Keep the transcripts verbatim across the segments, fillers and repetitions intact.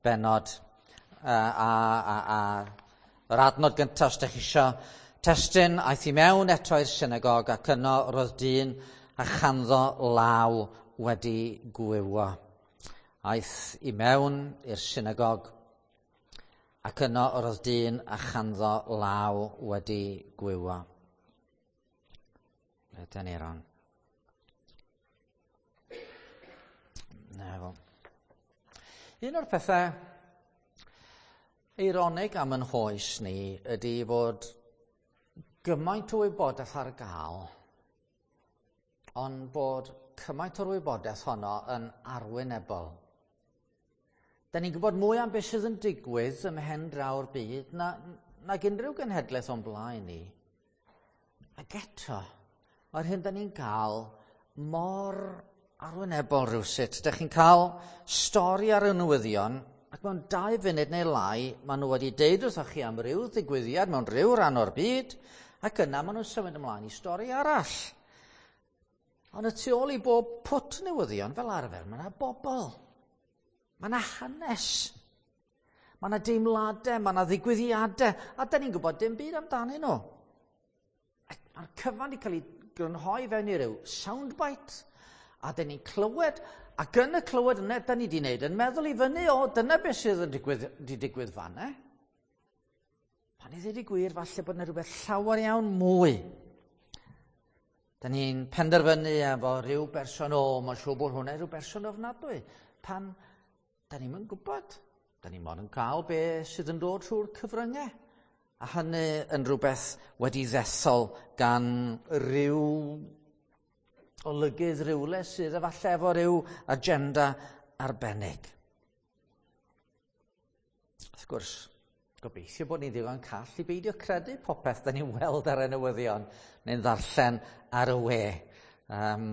Bennod a, a, a, a yr adnod gyntaf os ydych chi isio. Testun, aeth i mewn eto i'r synagog ac yno roedd dyn a chanddo law wedi gwywo. Aeth i mewn i'r synagog ac yno roedd dyn a chanddo law wedi gwywo. Ydyn ni ron. Na fo. Un o'r pethau eironig am yn hoes ni ydy bod gymaint o wybodaeth ar gael, ond bod cymaint o'r wybodaeth honno yn arwynebol. Da ni'n gwybod mwy am beth sydd yn digwydd ym mhen draw'r byd na, nag unrhyw genhedlaeth o'n blaen ni. Ac eto, mae'r hyn da ni'n cael mor arwynebol rhywsut. Dych chi'n cael stori ar y newyddion, ac mewn dau funud neu lai, maen nhw wedi deud wrthoch chi am ryw ddigwyddiad mewn rhyw ran o'r byd, ac yna maen nhw'n symud ymlaen i stori arall. Ond y tu ôl i bob pwt newyddion, fel arfer, mae yna bobl. Mae yna hanes. Mae yna deimladau, mae yna ddigwyddiadau, a da ni'n gwybod dim byd amdanyn nhw. Mae'r cyfan wedi cael ei grynhoi fewn i ryw soundbite, a dyn ni'n clywed, ac yn y clywed yna, da ni wedi wneud yn meddwl i fyny, o, dyna beth sydd yn digwydd, di digwydd fanna. Pan i ddweud y gwir, falle bod yna rhywbeth llawer iawn mwy. Da ni'n penderfynu efo rhyw berson, o, mae'n siŵr bod hwnna rhyw berson ofnadwy. Pan da ni'n yn gwybod, da ni'n mond yn cael be sydd yn dod trwy'r cyfryngau. A hynny yn rhywbeth wedi ddethol gan ryw olygydd rywle sydd efallai efo ryw agenda arbennig. Wrth gwrs, gobeithio bod ni'n ddigon call i beidio credu popeth da ni'n weld ar y newyddion neu'n ddarllen ar y we. Um,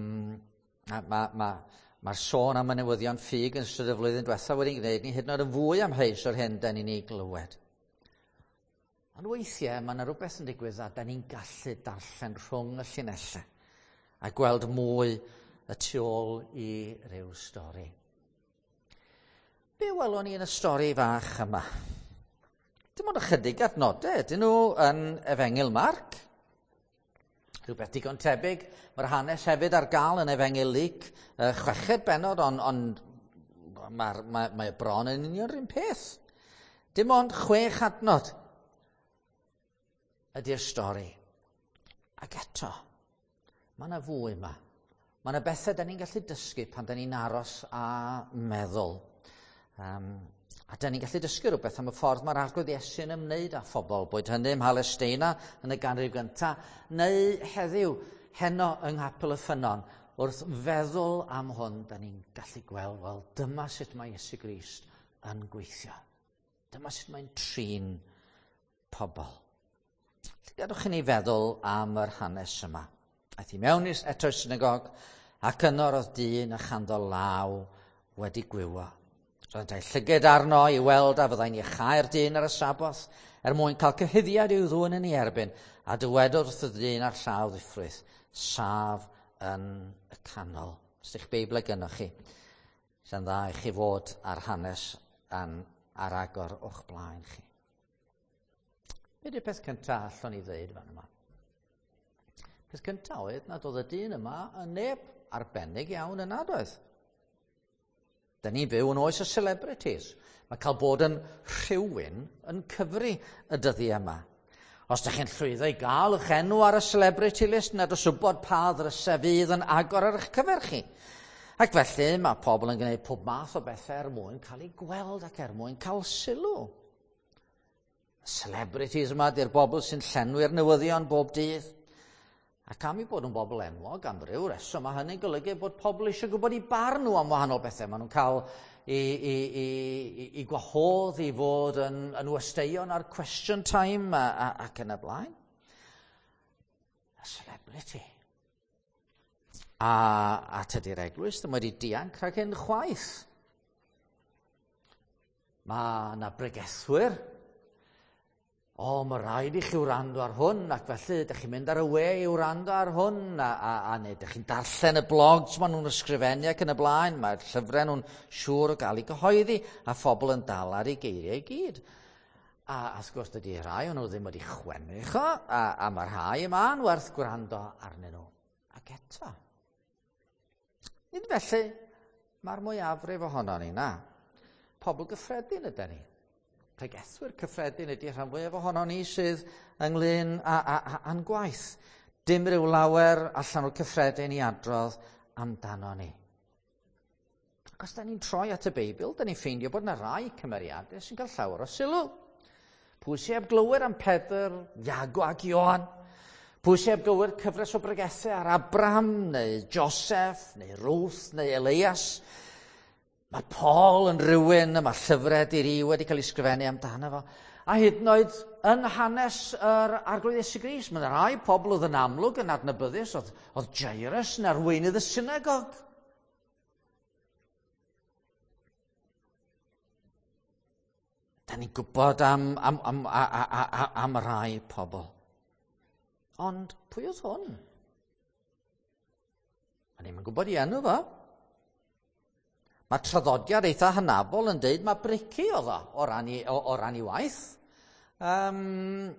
Mae'r ma, ma, ma sôn am y newyddion ffug yn ystod y flwyddyn diwethaf wedi gwneud ni hyd yn oed yn fwy amheus o'r hyn da ni'n ei glywed. Ond weithiau mae yna rhywbeth yn digwydd a da ni'n gallu darllen rhwng y llinellau a gweld mwy y tu ôl i ryw stori. Be welwn ni yn y stori fach yma? Dim ond ychydig adnodau ydyn nhw yn Efengyl Marc. Rhywbeth digon tebyg. Mae'r hanes hefyd ar gael yn Efengyl Luc, chweched bennod, ond on, mae, mae, mae bron yn union yr un peth. Dim ond chwech adnod ydy'r stori. Ac eto, mae yna fwy yma. Mae yna bethau da ni'n gallu dysgu pan da ni'n aros a meddwl. Um, a da ni'n gallu dysgu rhywbeth am y ffordd mae'r Arglwydd Iesu'n ymwneud â phobl, boed hynny ym Mhalesteina yn y ganrif gyntaf, neu heddiw, heno yng Nghapel y Ffynnon, wrth feddwl am hwn, da ni'n gallu gweld, wel, dyma sut mae Iesu Grist yn gweithio. Dyma sut mae'n trin pobl. Gadwch i ni feddwl am yr hanes yma. Aeth i mewn eto i'r synagog, ac yno roedd dyn a chanddo law wedi gwywo. Roedd ei llygad arno i weld a fyddai'n iachau'r dyn ar y Saboth, er mwyn cael cyhuddiad i'w ddwyn yn ei erbyn, a dywedodd wrth y dyn a'r llaw ddiffrwyth, saf yn y canol. Os ydych Beibl gynnoch chi, sy'n dda i chi fod ar hanes an, ar agor o'ch blaen chi. Be di'r peth cyntaf allwn ni ddweud fan yma? Peth cyntaf oedd nad oedd y dyn yma yn neb arbennig iawn yn nad oedd. Da ni'n byw yn oes y celebrities. Mae cael bod yn rhywun yn cyfri y dyddiau yma. Os ydych chi'n llwyddo i gael eich enw ar y celebrity list, nad oes wybod pa ddrysau fydd yn agor ar eich cyfer chi. Ac felly mae pobl yn gwneud pob math o bethau er mwyn cael eu gweld ac er mwyn cael sylw. Celebrities yma di'r bobl sy'n llenwi'r newyddion bob dydd. Ac am i bod yn bobl enwog am ryw reswm, mae hynny'n golygu bod pobl eisiau gwybod i barn nhw am wahanol bethau. Maen nhw'n cael i, i, i, i, i gwahodd i fod yn, yn westeion ar Question Time a, a, ac yn y blaen. A celebrity. A, a tydi'r eglwys ddim wedi dianc rhag hyn chwaith. Mae yna bregethwyr O, mae rhaid i chi wrando ar hwn, ac felly ydych chi'n mynd ar y we i wrando ar hwn, a, a, a neu ydych chi'n darllen y blogs maen nhw'n ysgrifennu ac yn y blaen, mae'r llyfrau nhw'n siŵr o gael eu cyhoeddi, a phobl yn dal ar eu geiriau i gyd. A, a wrth gwrs, dydy rhai o'n nhw ddim wedi chwennych o, a, a mae rhai yma'n werth gwrando arnyn nhw. Ac eto, nid felly mae'r mwyafrif ohono ni, na. Pobl gyffredin ydyn ni. Pregethwyr cyffredin ydy rhan fwyaf ohono ni sydd ynglyn â, â, â, â'n gwaith. Dim rhyw lawer allan o'r cyffredin i adrodd amdano ni. Ac os da ni'n troi at y Beibl, da ni'n ffeindio bod yna rai cymeriadau sy'n cael llawer o sylw. Pwy sy'n heb glywed am Pedr, Iago ac Ioan? Pwy sy'n heb glywed cyfres o bregethau ar Abraham, neu Joseph, neu Ruth, neu Elias? Mae Paul yn rhywun, y mae llyfrau diri wedi cael ei sgrifennu amdano fo. A hyd yn oed yn hanes yr Arglwydd Iesu Grist, mae yna rai pobl oedd yn amlwg yn adnabyddus, oedd, oedd Jairus yn arweinydd y synagog. Da ni'n gwybod am, am, am, a, a, a, am rai pobl. Ond pwy oedd hwn? A ni'n gwybod i enw fo. Mae traddodiad eitha hynafol yn deud mae brici oedd o, o ran i, o, o ran i waith. Um,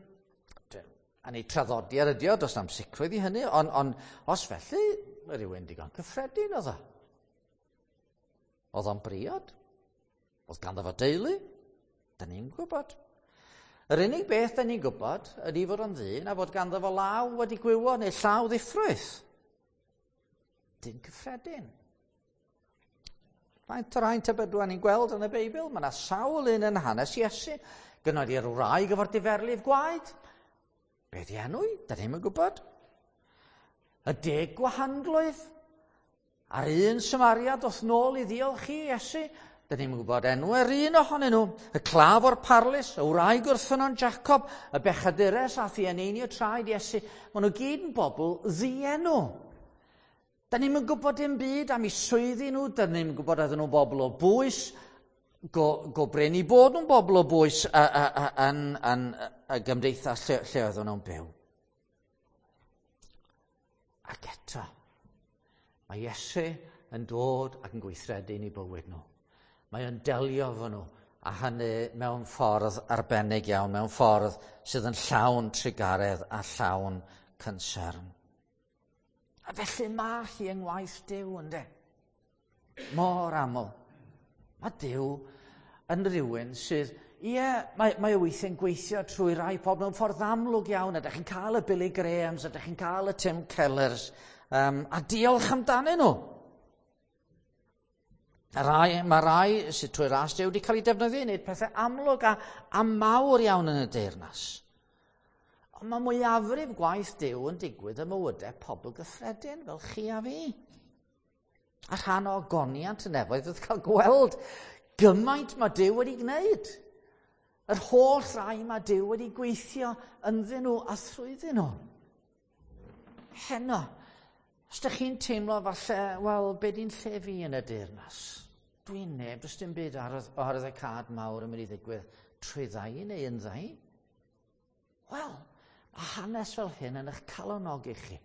a ni traddodiad ydi o, does na'm sicrwydd i hynny, ond on, os felly, mae rhywun digon cyffredin oedd o. Oedd o'n briod? Oedd ganddo fo deulu? Da ni'n gwybod. Yr unig beth da ni'n gwybod ydy fod o'n ddyn a fod ganddo fo law wedi gwywo neu llaw ddiffrwyth. Dyn cyffredin. Faint o'r haint tybedwa ni'n gweld yn y Beibl? Mae yna sawl un yn hanes Iesu. Gynnodd i'r wraig efo'r diferlif gwaed. Be di enw i? Da ni'm yn gwybod. Y deg gwahanglwydd. A'r un Samariad ddoth nôl i ddiolch i Iesu. Da ni'm yn gwybod enw yr un ohonyn nhw. Y claf o'r parlys, y wraig wrth ffynnon Jacob, y bechadures ath i eneinio traed Iesu. Maen nhw gyd yn bobl ddienw. Da ni'm yn gwybod dim byd am eu swyddi nhw, da ni'm yn gwybod oedden nhw'n bobl o bwys, go, go brin i bod nhw'n bobl o bwys a, a, a, yn, yn y gymdeithas lle, lle oedden nhw'n byw. Ac eto, mae Iesu yn dod ac yn gweithredu yn eu bywyd nhw. Mae o'n delio efo nhw, a hynny mewn ffordd arbennig iawn, mewn ffordd sydd yn llawn trugaredd a llawn concern. A felly mae hi yng ngwaith Duw, ynde? Mor aml. Mae Duw yn rhywun sydd, ie, mae, mae o weithiau'n gweithio trwy rai pobl mewn ffordd amlwg iawn, a ydych chi'n cael y Billy Grahams, a ydych chi'n cael y Tim Kellers, um, a diolch amdanyn nhw. A rai, mae rai sydd trwy ras Duw wedi cael ei defnyddio i wneud pethau amlwg a, a mawr iawn yn y deyrnas. Ond mae mwyafrif gwaith Duw yn digwydd ym mywydau pobl gyffredin fel chi a fi. A rhan o ogoniant y nefoedd oedd cael gweld gymaint mae Duw wedi gwneud. Yr holl rai mae Duw wedi gweithio ynddyn nhw a thrwyddyn nhw. Heno, os ydych chi'n teimlo falle, wel, be di'n lle fi yn y deyrnas? Dwi'n neb, does dim byd ar y cad mawr yn mynd i ddigwydd trwy ddau neu yn ddau. Wel, mae hanes fel hyn yn eich calonogi chi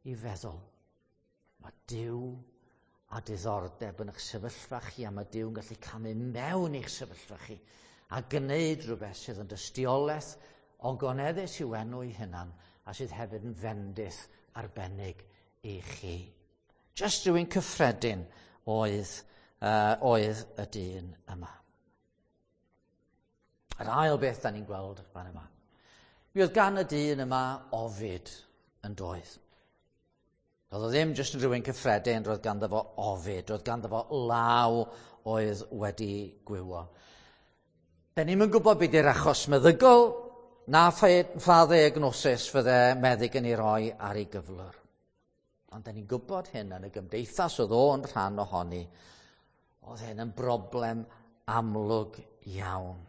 i feddwl. Mae Duw a diddordeb yn eich sefyllfa chi, a mae Duw yn gallu camu mewn i'ch sefyllfa chi a gwneud rhywbeth sydd yn dystiolaeth ogoneddus i'w enw ei hunan a sydd hefyd yn fendith arbennig i chi. Just rhywun cyffredin oedd, uh, oedd y dyn yma. Yr ail beth da ni'n gweld fan yma. Mi oedd gan y dyn yma ofid yn doedd. Roedd o ddim jyst yn rhywun cyffredin, roedd ganddo fo ofid, roedd ganddo fo law oedd wedi gwywo. Da ni'm yn gwybod beth yw'r achos meddygol, na pha ddiagnosis fydde meddyg yn ei roi ar ei gyflwr. Ond da ni'n gwybod hyn yn y gymdeithas oedd o'n rhan ohoni, oedd hyn yn broblem amlwg iawn.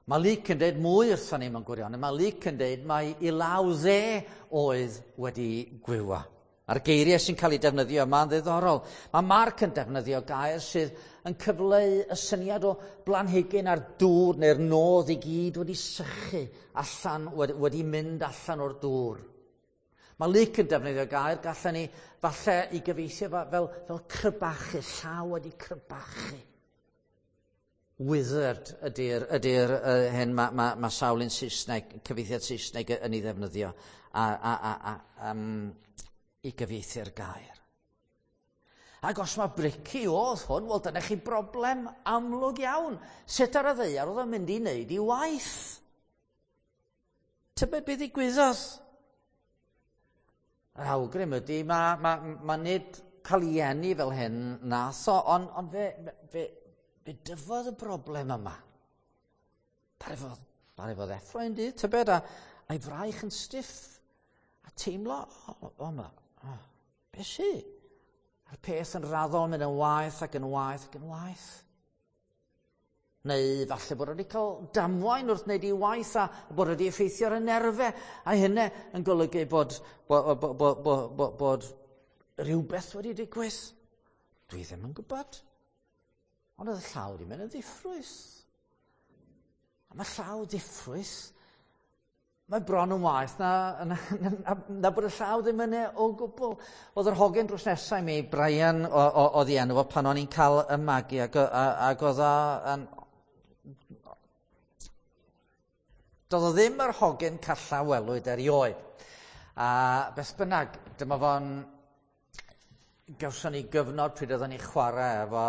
Mae Luc yn dweud mwy wrthon ni mewn gwirionedd. Mae Luc yn dweud mai i law dde oedd wedi gwywa. A'r geiriau sy'n cael eu defnyddio yma'n ddiddorol. Mae Marc yn defnyddio gair sydd yn cyfleu y syniad o blanhigyn a'r dŵr neu'r nodd i gyd wedi sychu allan, wedi, wedi mynd allan o'r dŵr. Mae Luc yn defnyddio gair gallen ni falle i gyfieithu fel, fel crebachu, llaw wedi crebachu. Withered ydy'r ydy uh, hyn mae ma, ma sawl un Saesneg, cyfieithiad Saesneg yn ei ddefnyddio a, a, a, a, um, i gyfieithu'r gair. Ac os mae brici oedd hwn, wel dyna chi broblem amlwg iawn. Sut ar y ddaear oedd o'n mynd i wneud i waith? Tybed beth ddigwyddodd? Yr awgrym ydy, mae ma, ma nid cael ei eni fel hyn nath o, ond on fe, fe, fe dyfodd y broblem yma. Ddaru fod, ddaru fod effro un dydd, tybed, a, a'i fraich yn stiff, a teimlo, o, o, o, ma, o, be sy? A'r peth yn raddol mynd yn waeth ac yn waeth ac yn waeth. Neu falle bod wedi cael damwain wrth wneud ei waith a bod wedi effeithio ar y nerfau. A hynny yn golygu bod, bod, bod, bod, bod, bod, bod rhywbeth wedi digwydd. Dwi ddim yn gwybod. Ond oedd y llaw wedi mynd yn ddiffrwyth. A mae llaw ddiffrwyth, mae bron yn waeth na, na, na, na bod y llaw ddim yna o gwbl. Oedd yr hogyn drws nesau i mi, Brian, oedd ei enw fo pan o'n i'n cael y magu, ac, ac oedd o yn... Doedd o ddim yr hogyn calla welwyd erioed. A beth bynnag, dyma fo'n... Gawson ni gyfnod pryd oedden ni chwarae efo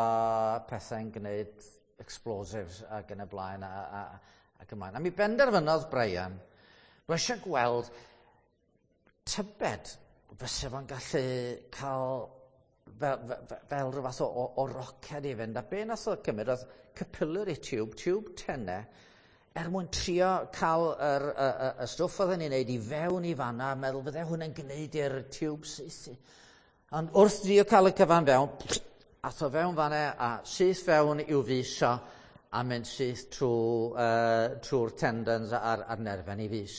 pethau'n gwneud explosives ac yn y blaen a, a, ac ymlaen. A mi benderfynodd Brian, roedd eisiau gweld tybed fysa fo'n gallu cael fel, fel, fel rhyw fath o, o, o roced i fynd. A be nath o gymryd oedd capillary tube, tube tenau, er mwyn trio cael yr, y, y, y stwff oedden ni'n neud i fewn i fanna, a meddwl fydde hwnna'n gwneud i'r tube saethu. Ond wrth drio cael y cyfan fewn, ath o fewn fanna a syth fewn i'w fys o a mynd syth trwy, uh, trwy'r tendons a'r, a'r nerfen i fys.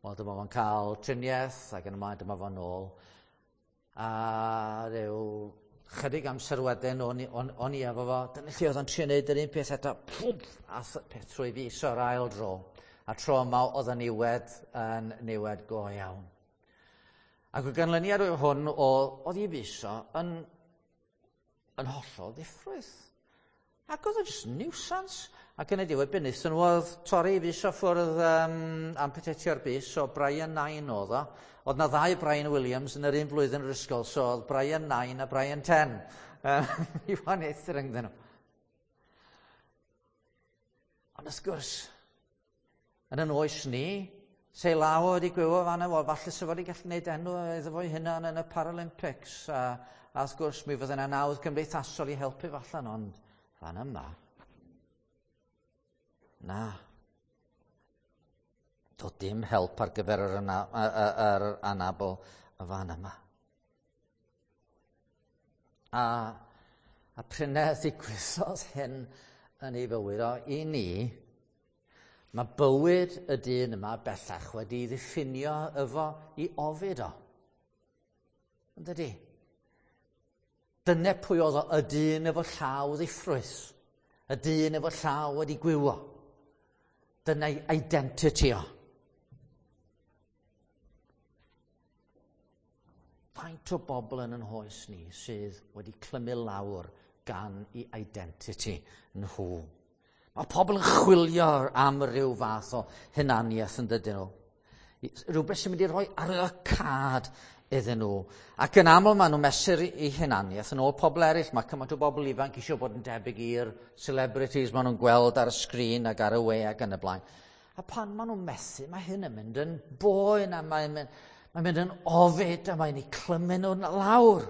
Wel, dyma fo'n cael triniaeth ac yn ymlaen dyma fo'n ôl. A rhyw chydig amser wedyn o'n, on, on i efo fo, dyna lle oedd o'n trio wneud yr un peth eto, pwmp, a peth trwy fys o'r ail dro. A tro yma oedd y niwed yn niwed go iawn. Ac o ganlyniad o hwn, o, oedd i fys o yn, yn hollol ddiffrwyth. Ac oedd o jyst nuisance. Ac yn y diwedd, be wnaethon nhw oedd torri i fys o ffwrdd um, amputatio'r bys, so Brian Nine oedd o. Oedd na ddau Brian Williams yn yr un flwyddyn yr ysgol, so oedd Brian Nine a Brian Ten. I wahaniaethu rhyngddyn nhw. Ond wrth gwrs, yn yn oes ni, se law wedi gwywo fanna, wel, falle se fo wedi gallu gwneud enw iddo fo'i hunan yn y Paralympics. A, a wrth gwrs, mi fydde yna nawdd cymdeithasol i helpu fo allan, ond fan yma, na. Doedd dim help ar gyfer yr, ana, yr anabl y fan yma. A, a pryd ddigwyddodd hyn yn ei fywyd o, i ni, mae bywyd y dyn yma bellach wedi ddiffinio efo i ofid o. Yn dydi? Dyna pwy oedd o, y dyn efo llaw ddiffrwyth. Y dyn efo llaw wedi gwywo. Dyna'i identity o. Faint o bobl yn yn hoes ni sydd wedi clymu lawr gan i identity nhw. Mae pobl yn chwilio am ryw fath o hunaniaeth yn dydyn nhw. Rhywbeth sy'n mynd i roi arwyddocâd iddyn nhw. Ac yn aml maen nhw'n mesur i hunaniaeth yn ôl pobl eraill. Mae cymaint o bobl ifanc eisiau bod yn debyg i'r celebrities maen nhw'n gweld ar y sgrin ac ar y we ac yn y blaen. A pan maen nhw'n methu, mae hyn yn mynd yn boen a mae'n mynd, mae'n mynd yn ofid a mae'n eu clymu nhw'n lawr.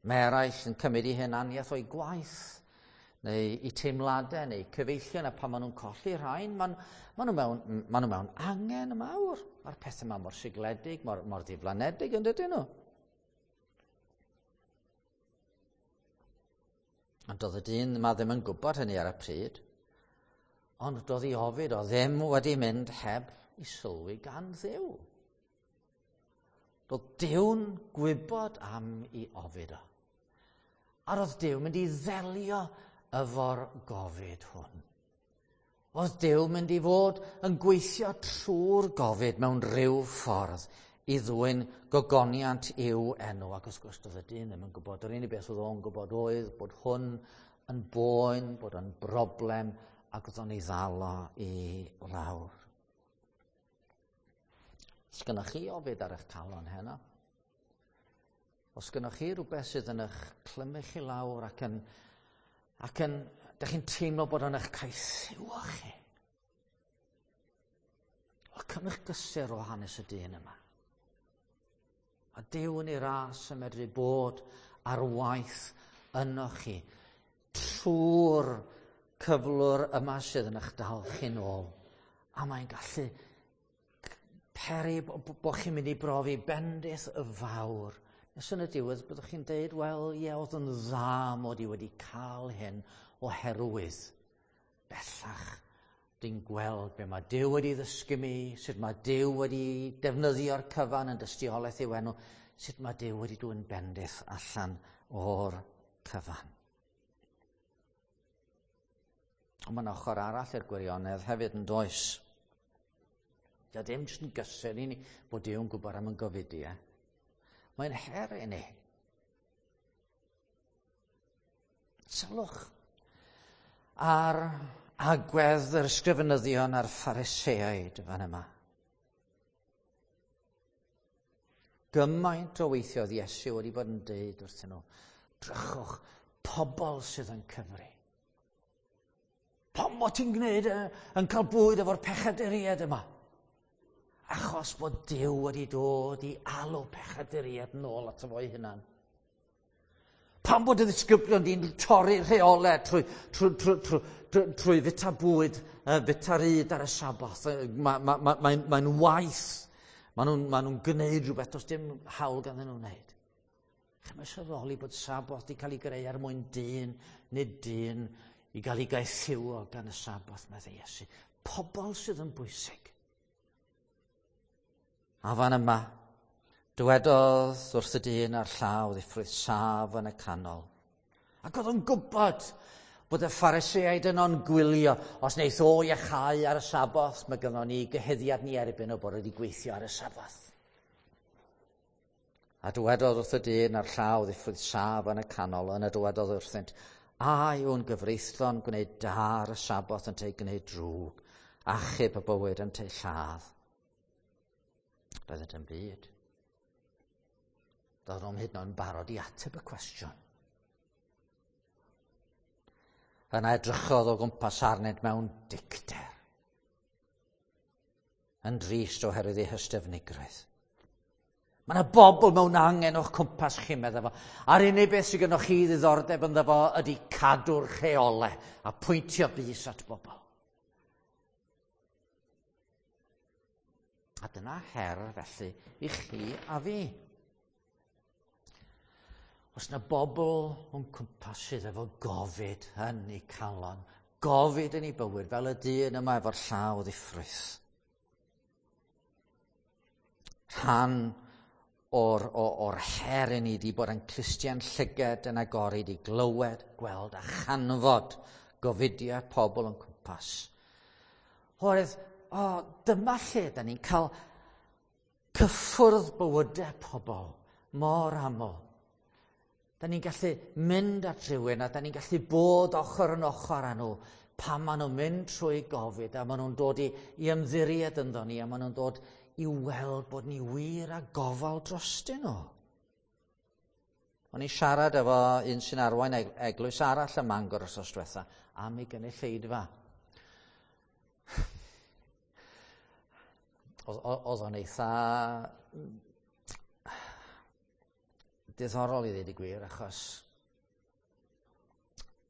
Mae eraill yn cymryd eu hunaniaeth o'i gwaith, neu i teimladau, neu cyfeillion, a pan maen nhw'n colli rhain, maen, maen, nhw mewn, maen nhw mewn angen mawr. Mae'r pethau yma mor sigledig, mor, mor ddiflanedig yn dydyn nhw. Ond doedd y dyn yma ddim yn gwybod hynny ar y pryd, ond doedd ei ofid o ddim wedi mynd heb i sylwi gan Dduw. Doedd Duw'n gwybod am ei ofid o. A roedd Duw mynd i ddelio efo'r gofid hwn. Oedd Duw mynd i fod yn gweithio trwy'r gofid mewn rhyw ffordd i ddwyn gogoniant i'w enw. Ac wrth gwrs doedd y dyn ddim yn gwybod. Yr unig beth oedd o'n gwybod oedd bod hwn yn boen, bod o'n broblem, ac oedd o'n ei ddal o i lawr. Os gynnwch chi ofid ar eich calon heno? Os gynnwch chi rhywbeth sydd yn eich clymu chi lawr ac yn, ac yn, dych chi'n teimlo bod o'n eich caethiwo chi? Wel, cymrwch gysur o hanes y dyn yma. A Duw yn ei ras yn medru bod ar waith yno chi trwy'r cyflwr yma sydd yn eich dal chi'n ôl. A mae'n gallu peri bod chi'n mynd i brofi bendith y fawr. Nes yn y diwedd byddwch chi'n deud, wel, ie, oedd yn dda mod i wedi cael hyn oherwydd bellach dwi'n gweld be mae Duw wedi ddysgu mi, sut mae Duw wedi defnyddio'r cyfan yn dystiolaeth i'w enw, sut mae Duw wedi dwyn bendith allan o'r cyfan. Ond mae'n ochr arall i'r gwirionedd hefyd yn does. Dio ddim jyst yn gysur i ni bod Duw'n gwybod am yn gofidiau. Mae'n her i ni. Sylwch ar agwedd yr ysgrifenyddion a'r Phariseaid fan yma. Gymaint o weithiodd Iesu wedi bod yn deud wrthyn nhw, drychwch, pobl sydd yn cyfri. Pam bod ti'n gwneud yn cael bwyd efo'r pechaduriaid yma? Achos bod Duw wedi dod i alw pechaduriaid nôl ato fo'i hunan. Pam bod y ddisgyblion di'n torri rheolau trwy, trwy, trwy, trwy, trwy, trwy fita bwyd, uh, fita'r yd ar y Saboth. Mae'n ma, ma, ma, mae waith. Maen nhw'n ma nhw gwneud rhywbeth does dim hawl ganddyn nhw'n wneud. Chi'n mae sylweddoli bod Saboth wedi cael ei greu er mwyn dyn, nid dyn, i gael ei gaethiwo gan y Saboth, meddai Iesu. Pobl sydd yn bwysig. A fan yma, dywedodd wrth y dyn a'r llaw ddiffrwyth saf yn y canol. Ac oedd o'n gwybod bod y Phariseaid yno'n gwylio. Os wneith o iachau ar y Saboth, mae gynnon ni gyhuddiad ni erbyn o bod wedi gweithio ar y Saboth. A dywedodd wrth y dyn a'r llaw ddiffrwyth saf yn y canol, yna dywedodd wrthynt, a yw'n gyfreithlon gwneud da ar y Saboth ynteu gwneud drwg, achub y bywyd ynteu lladd. Roeddent yn byd. Doedd nhw'n hyd yn oed yn barod i ateb y cwestiwn. Yna edrychodd o gwmpas arnynt mewn dicter, yn drist oherwydd eu hystyfnigrwydd. Mae yna bobl mewn angen o'ch cwmpas chi, meddai fo. A'r unig beth sydd gennych chi ddiddordeb ynddo fo ydy cadw'r rheolau a pwyntio bys at bobl. A dyna her, felly, i chi a fi. Os yna bobl o'n cwmpas sydd efo gofid yn eu calon, gofid yn eu bywyd, fel y dyn yma efo'r llaw ddiffrwyth. Rhan o'r, or, or her i ni di bod yn clustiau'n llyged yn agored i glywed, gweld a chanfod gofidiau pobl o'n cwmpas. Oherwydd, o, dyma lle da ni'n cael cyffwrdd bywydau pobl mor aml. Da ni'n gallu mynd at rhywun a da ni'n gallu bod ochr yn ochr â nhw pan maen nhw'n mynd trwy gofid a maen nhw'n dod i, i ymddiried ynddo ni a maen nhw'n dod i weld bod ni wir a gofal drostyn nhw. O'n i'n siarad efo un sy'n arwain eglwys arall ym Mangor wythnos diwetha am ei gynulleidfa. Oedd o'n eitha diddorol i ddweud y gwir, achos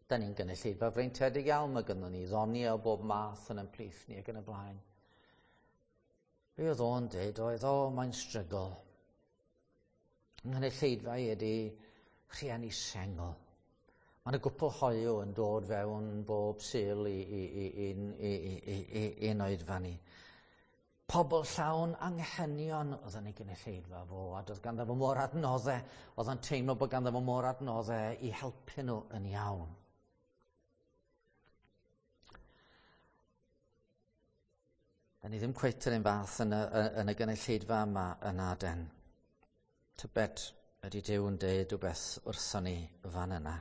da ni'n gynulleidfa freintiedig iawn, mae gynnon ni ddoniau o bob math yn ein plith ni ac yn y blaen. Be oedd o'n dweud oedd, o, mae'n strygl. Nghynulleidfa i ydy rhieni sengl. Mae yna gwpl hoyw yn dod fewn bob Sul i, i, i, i, i, i, i, i, i'n oedfa ni. Pobl llawn anghenion oedd yn ei gynulleidfa fo, a doedd ganddo fo mor adnoddau, oedd yn teimlo bod ganddo fo mor adnoddau i helpu nhw yn iawn. Da ni ddim cweit yr un fath yn y, yn y gynulleidfa yma yn Aden. Tybed ydy Duw yn deud rhywbeth wrthon ni fan yna,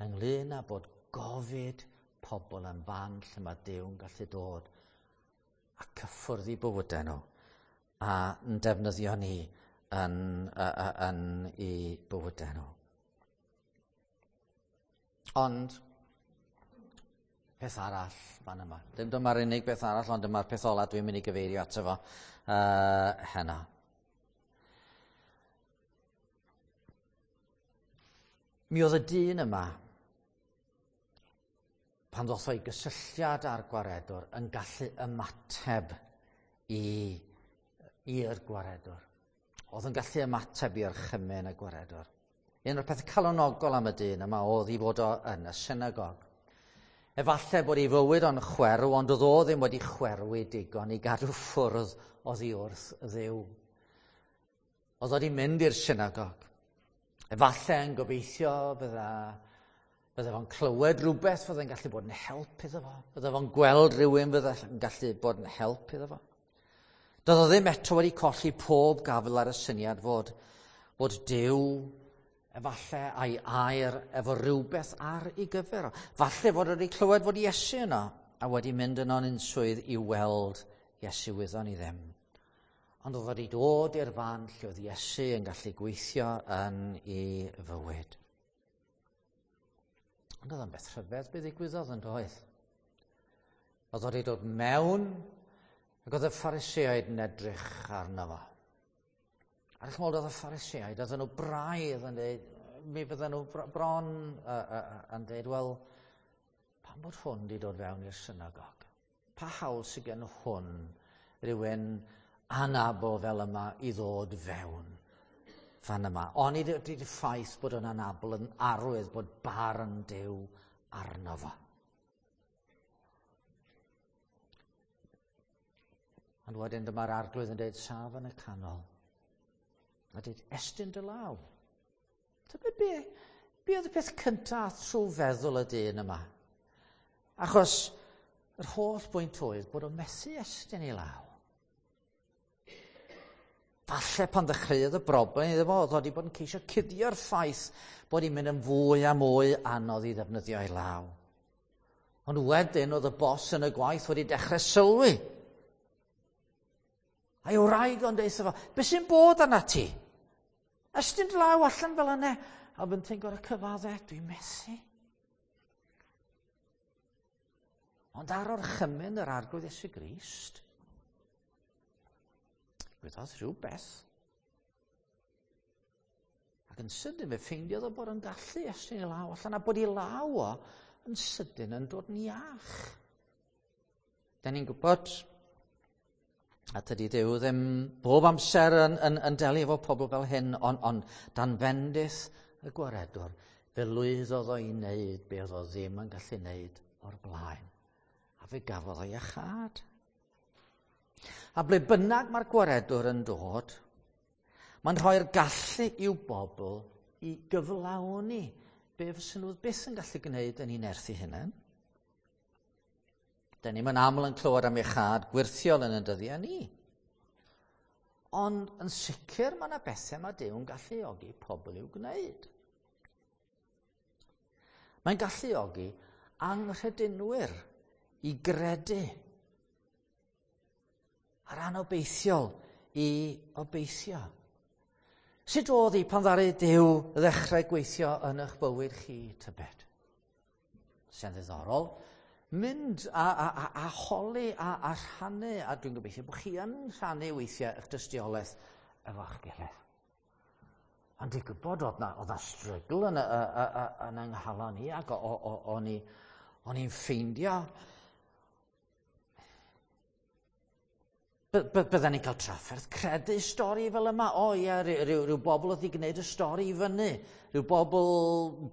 ynglyn â bod gofid pobl yn fan lle mae Duw yn gallu dod a cyffwrdd i bywydau nhw a yn defnyddio ni yn, yn, yn i bywydau nhw. Ond peth arall fan yma. Dim dyma'r unig beth arall, ond dyma'r peth ola dwi'n mynd i gyfeirio ato fo uh, heno. Mi oedd y dyn yma, pan ddoth o'i gysylltiad â'r gwaredwr, yn gallu ymateb i'r gwaredwr. Oedd yn gallu ymateb i'r chymyn y gwaredwr. Un o'r peth calonogol am y dyn yma oedd i fod o yn y synagog. Efallai bod ei fywyd o'n chwerw, ond oedd o ddim wedi chwerwi digon i gadw ffwrdd oddi wrth Dduw. Oedd o wedi mynd i'r synagog. Efallai yn gobeithio bydda Bydde fo'n clywed rhywbeth fydde'n gallu bod yn help iddo fo. Bydde fo'n gweld rhywun fydde'n gallu bod yn help iddo fo. Doedd o ddim eto wedi colli pob gafel ar y syniad fod, fod Duw efallai a'i air efo rhywbeth ar ei gyfer o. Falle fod wedi clywed fod Iesu yno a wedi mynd yno'n unswydd i weld Iesu, wyddon ni ddim. Ond oedd wedi dod i'r fan lle oedd Iesu yn gallu gweithio yn ei fywyd. Ond oedd o'n beth rhyfedd beth ddigwyddodd yn doedd. Oedd wedi dod mewn ac oedd y Phariseaid yn edrych arno fo. Ar eich modd oedd y Phariseaid, oedden nhw braidd yn dweud, mi fydden nhw bron uh, uh, yn dweud, wel, pam bod hwn wedi dod fewn i'r synagog? Pa hawl sydd gen hwn rhywun anabl fel yma i ddod fewn fan yma? Ond ydy'r ffaith bod o'n anabl yn arwydd bod barn Duw arno fo. Ond wedyn dyma'r arglwydd yn dweud, saf yn y canol. A dweud, estyn dy law. Tybed be, be oedd y peth cyntaf trwy feddwl y dyn yma? Achos yr holl bwynt oedd bod o'n methu estyn ei law. Falle pan ddechreuodd y broblem iddo fo, oedd wedi bod yn ceisio cuddio'r ffaith bod hi'n mynd yn fwy a mwy anodd i ddefnyddio ei law. Ond wedyn oedd y bos yn y gwaith wedi dechrau sylwi. A'i wraig o'n deud fo, beth sy'n bod arna ti? Estyn dy law allan fel yna. A fynti'n gorau cyfadde, dwi'n methu. Ond ar orchymyn yr Arglwydd Iesu Grist, digwyddodd rhywbeth. Ac yn sydyn fe ffeindiodd o bod yn gallu estyn ei law allan, a bod ei law o yn sydyn yn dod yn iach. Da ni'n gwybod, a tydi Duw ddim bob amser yn, yn, yn delio efo pobl fel hyn, ond on, dan fendith y gwaredwr, fe lwyddodd o i wneud be oedd o ddim yn gallu wneud o'r blaen. A fe gafodd o iachâd. A ble bynnag mae'r gwaredwr yn dod, mae'n rhoi'r gallu i'w bobl i gyflawni be fysen nhw byth yn gallu gwneud yn eu nerth eu hunain. Da ni'm yn aml yn clywed am iachâd gwirthiol yn y dyddiau ni. Ond yn sicr mae yna bethau mae Duw yn galluogi pobl i'w gwneud. Mae'n galluogi anghredinwyr i gredu a'r anobeithiol i obeithio. Sut oedd hi pan ddaru Duw ddechrau gweithio yn eich bywyd chi, tybed? Sy'n ddiddorol. Mynd a, a, a, a holi a, a rhannu, a dwi'n gobeithio bod chi yn rhannu weithiau eich dystiolaeth efo'ch gilydd. Ond dwi'n gwybod oedd na, oedd na strygl yn, yn yng nghalon i, ac o'n i'n ffeindio Bydden ni'n cael trafferth credu stori fel yma. O ie, rhyw, rhyw, rhyw bobl oedd wedi gwneud y stori i fyny. Rhyw bobl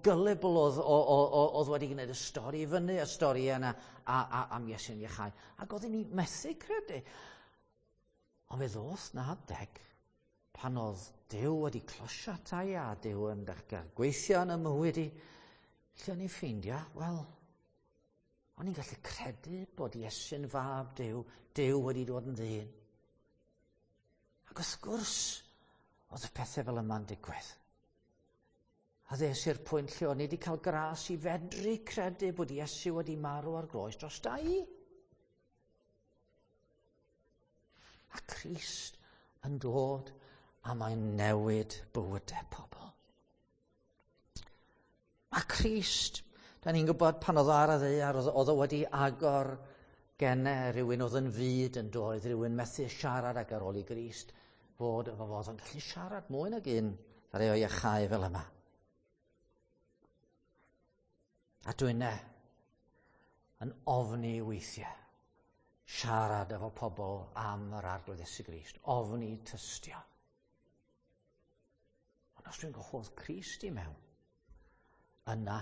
gullible oedd, oedd wedi gwneud y stori i fyny, y stori yna a, a, am Iesu'n iachau. Ac oedden ni methu credu. Ond fe ddoth na adeg pan oedd Duw wedi closio ata i a Duw yn dechrau gweithio yn y mywyd i, lle o'n i'n ffeindio, wel, o'n i'n gallu credu bod Iesu'n fab Duw, Duw wedi dod yn ddyn. Ac wrth gwrs, oedd y pethau fel yma'n digwydd. A ddes i'r pwynt lle o'n i wedi cael gras i fedru credu bod Iesu wedi marw ar groes dros da i. A Crist yn dod a mae'n newid bywydau pobl. A Crist, da ni'n gwybod pan oedd o ar y ddaear, oedd o wedi agor gennau rhywun oedd yn fud yn doedd, rhywun methu siarad ac ar ôl i Grist fod efo fod yn gallu siarad mwy nag un ar ei o'i achau fel yma. A dwi'n e yn ofni weithiau siarad efo pobl am yr Arglwydd Iesu Grist, ofni tystio. Ond os dwi'n gwahodd Crist i mewn, yna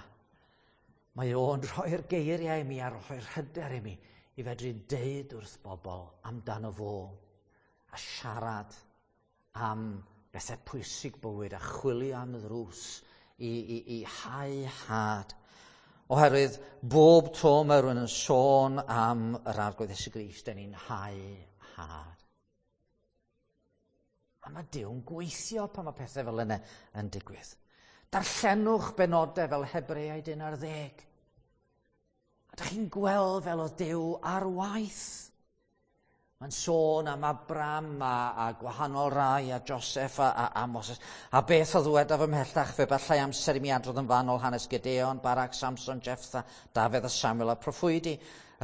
mae o'n rhoi'r geiriau i mi a rhoi'r hyder i mi i fedru deud wrth bobl amdano fo a siarad am bethau pwysig bywyd a chwilio am ddrws i, i, i hau had. Oherwydd bob tro mae rhywun yn sôn am yr Arglwydd Iesu Grist, dan ni'n hau had. A mae Duw'n gweithio pan mae pethau fel yna yn digwydd. Darllenwch benodau fel Hebreaid un ar ddeg. A dych chi'n gweld fel oedd Duw ar waith. Mae'n sôn am Abram a, a gwahanol rai a Joseph a, a, a Moses. A beth o ddwedaf ymhellach, fe bellai amser i mi adrodd yn fanol hanes Gideon, Barak, Samson, Jephtha, Dafydd a Samuel a proffwydi.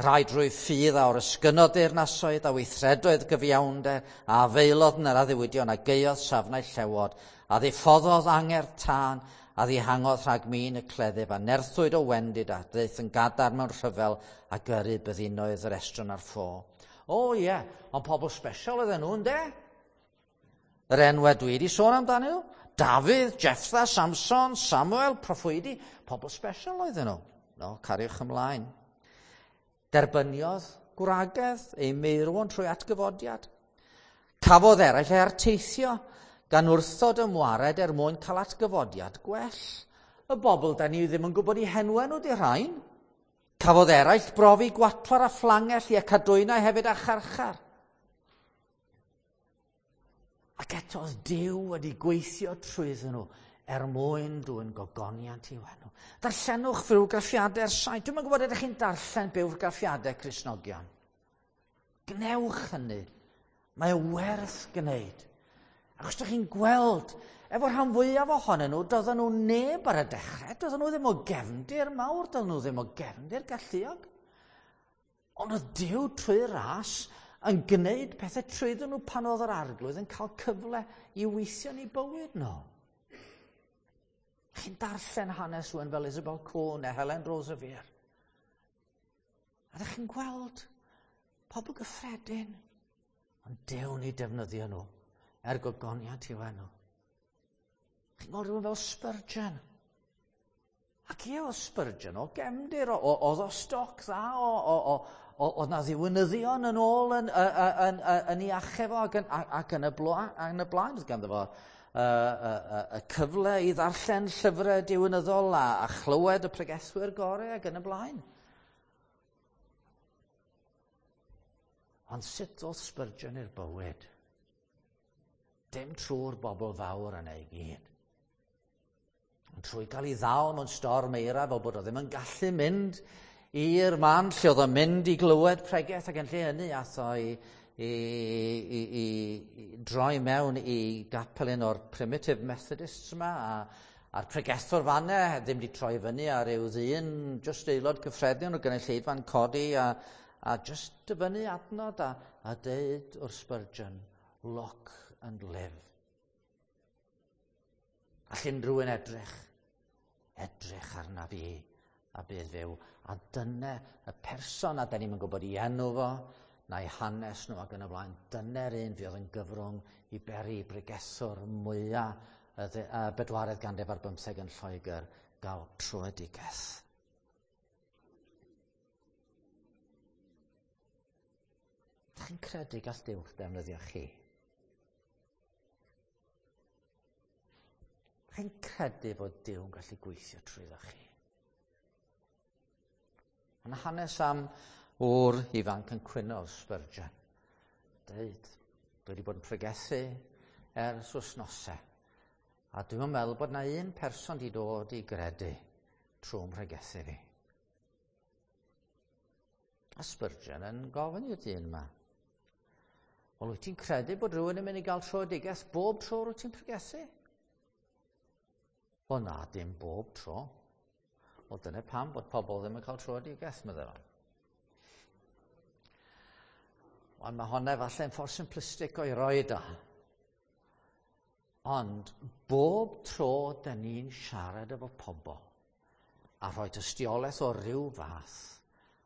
Rai drwy ffydd a oresgynnodd deyrnasoedd a weithredoedd gyfiawnder, a afaelodd yn yr addewidion a gaeodd safnau llewod, a ddiffoddodd angerdd tân, a ddihangodd rhag min y cleddyf, a nerthwyd o wendid, a ddaeth yn gadarn mewn rhyfel, a gyrru byddinoedd yr estron ar ffo. O ie, yeah, ond pobl special oedden nhw, ynde? Yr enwau dwi wedi sôn amdanyn nhw. Dafydd, Jephtha, Samson, Samuel, proffwydi, pobl special oedden nhw. No, cariwch ymlaen. Derbyniodd gwragedd ei meirwon trwy atgyfodiad. Cafodd eraill ei arteithio gan wrthod ymwared er mwyn cael atgyfodiad gwell. Y bobl da ni ddim yn gwybod eu henwau nhw di rhain. Cafodd eraill brofi gwatwar a phlangell i y cadwynau hefyd a charchar. Ac eto oedd Duw wedi gweithio trwyddyn nhw er mwyn dwyn gogoniant i'w enw. Darllenwch fywgraffiadau'r saint. Dwi'm yn gwybod ydych chi'n darllen bywgraffiadau Cristnogion. Gnewch hynny. Mae o werth gwneud. Achos ydych chi'n gweld, efo rhan fwyaf ohonyn nhw, doedden nhw neb ar y dechrau, doedden nhw ddim o gefndir mawr, doedden nhw ddim o gefndir galluog. Ond oedd Duw trwy ras yn gwneud pethau trwyddyn nhw pan oedd yr Arglwydd yn cael cyfle i weithio yn eu bywyd nhw. Chi'n darllen hanes rhywun fel Isabel Cohn neu Helen Roseveare. A ydych chi'n gweld pobl gyffredin, ond Duw'n eu defnyddio nhw er gogoniant i'w enw. Chi'n gweld rhywun fel Spurgeon. Ac ie, oedd Spurgeon o gefndir, oedd o stoc dda, o, oedd na ddiwinyddion yn ôl yn, yn, yn, yn, yn ei achub o ac yn, ac yn y blaen, yn y blaen oedd ganddo fo y, y, y, y cyfle i ddarllen llyfrau diwinyddol a, a chlywed y pregethwyr gorau ac yn y blaen. Ond sut oedd Spurgeon i'r bywyd? Dim trwy'r bobl fawr yna i gyd. Ond trwy gael ei ddal mewn storm eira fel bod o ddim yn gallu mynd i'r man lle oedd o'n mynd i glywed pregeth, ac yn lle hynny ath o i, i, i, i, i droi mewn i gapel un o'r Primitive Methodists yma, a, a'r pregethwr fanna ddim wedi troi fyny ar ryw ddyn, just aelod cyffredin o'r gynulleidfa'n codi, a, a just dyfynnu adnod a, a deud wrth Spurgeon, look and live. All unrhyw un edrych, edrych arna fi a bydd fyw. A dyna y person, a da ni'm yn gwybod ei enw fo, na'i hanes nhw ac yn y blaen, dyna'r un fydd yn gyfrwng i beri bregethwr mwyaf y bedwaredd ganrif ar bymtheg yn Lloegr gael tröedigaeth. Ydych chi'n credu gall Duw ddefnyddio chi? Ydych chi'n credu bod Duw yn gallu gweithio trwyddo chi? Yn hanes am ŵr ifanc yn cwyno Spurgeon. Deud, dwi wedi bod yn pregethu ers wythnosau. A dwi'n meddwl bod na un person wedi dod i gredu trwy'n pregethu fi. A Spurgeon yn gofyn i'r dyn yma, wel, wyt ti'n credu bod rhywun yn mynd i gael tröedigaeth bob tro wyt ti'n pregethu? Wel na, dim bob tro. Wel, dyna pam bod pobl ddim yn cael tröedigaeth, meddai fo. Wel, mae hwnna falle'n ffordd simplistic o'i roed o. Ond bob tro da ni'n siarad efo pobl a rhoi tystiolaeth o ryw fath,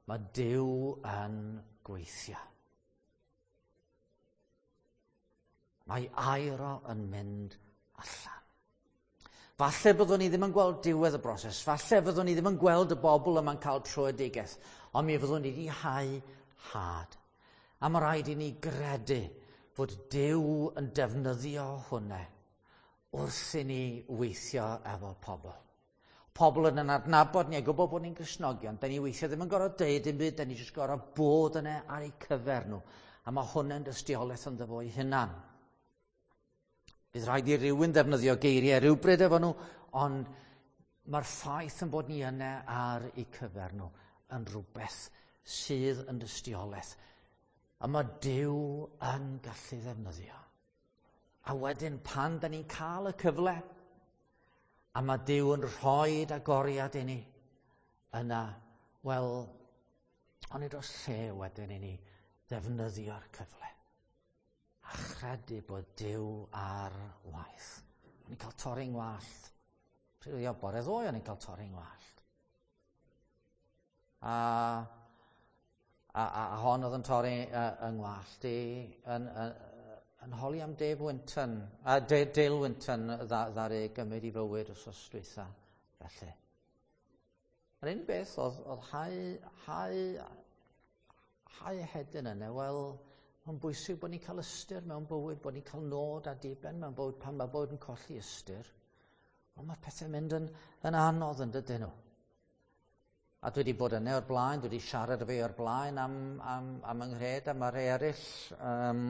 mae Duw yn gweithio. Mae air o yn mynd allan. Falle byddwn ni ddim yn gweld diwedd y broses, falle fyddwn ni ddim yn gweld y bobl yma'n cael tröedigaeth, ond mi fyddwn ni wedi hau had. A mae rhaid i ni gredu fod Duw yn defnyddio hwnna wrth i ni weithio efo pobl. Pobl yn adnabod ni a gwybod bod ni'n Gristnogion, da ni weithio ddim yn gorfod deud dim byd, da ni jyst gorfod bod yna ar eu cyfer nhw. A mae hwnna'n dystiolaeth ynddo fo'i hunan. Bydd rhaid i rywun ddefnyddio geiriau rhywbryd efo nhw, ond mae'r ffaith yn bod ni yna ar eu cyfer nhw yn rhywbeth sydd yn dystiolaeth. A mae Duw yn gallu ddefnyddio. A wedyn pan da ni'n cael y cyfle, a mae Duw yn rhoi agoriad i ni, yna, wel, onid oes lle wedyn i ni ddefnyddio'r cyfle. A chredu bod Duw ar waith. O'n i'n cael torri'n ngwallt. Pryd oedd bore ddoe o'n i'n cael torri'n ngwallt. A, a, a, a hon oedd yn torri yng ngwallt i yn, yn, yn holi am Dave Winton, a Dale Winton ddaru gymryd i fywyd wsos dwytha, felly. Yr unig beth oedd, oedd hau, hau, hau hedyn yna, wel, mae'n bwysig bod ni'n cael ystyr mewn bywyd, bod ni'n cael nod a diben mewn bywyd pan mae bywyd yn colli ystyr. Wel, mae pethau'n mynd yn, yn anodd yn dydyn nhw. A dwi wedi bod yna o'r blaen, dwi wedi siarad efo fi o'r blaen am, am, am yng nghred, a mae rhai eraill um,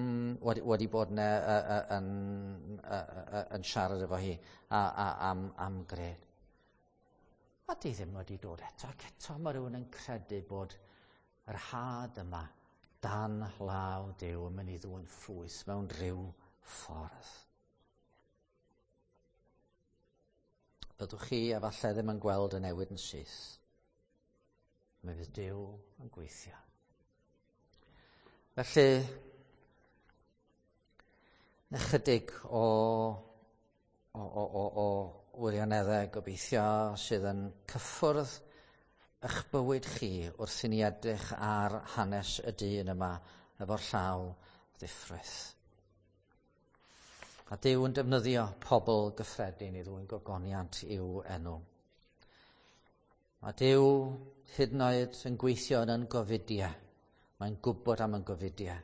wedi, wedi bod yna uh, yn, uh, uh, yn siarad efo hi a, a, am, am gred. A di ddim wedi dod eto, ac eto mae rhywun yn credu bod yr had yma dan law Duw yn mynd i ddwyn ffrwyth mewn rhyw ffordd. Byddwch chi efallai ddim yn gweld y newid yn syth. Mae fydd Duw yn gweithio. Felly, ychydig o, o, o, o, o wirioneddau gobeithio sydd yn cyffwrdd eich bywyd chi wrth i ni edrych ar hanes y dyn yma efo'r llaw ddiffrwyth. A Duw yn defnyddio pobl gyffredin i ddwyn gogoniant i'w enw. Mae Duw hyd yn oed yn gweithio yn yn gofidiau. Mae'n gwybod am yn gofidiau.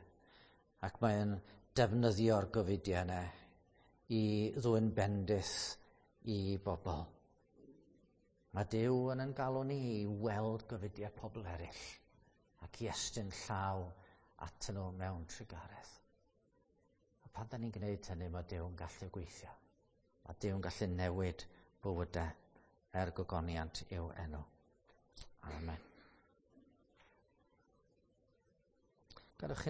Ac mae'n defnyddio'r gofidiau yna i ddwyn bendith i bobl. Mae Duw yn yn galw ni i weld gofidiau pobl eraill ac i estyn llaw atyn nhw mewn trugaredd. A pan da ni'n gwneud hynny, mae Duw yn gallu gweithio. Mae Duw yn gallu newid bywydau er gogoniant i'w enw. Amen. Gadewch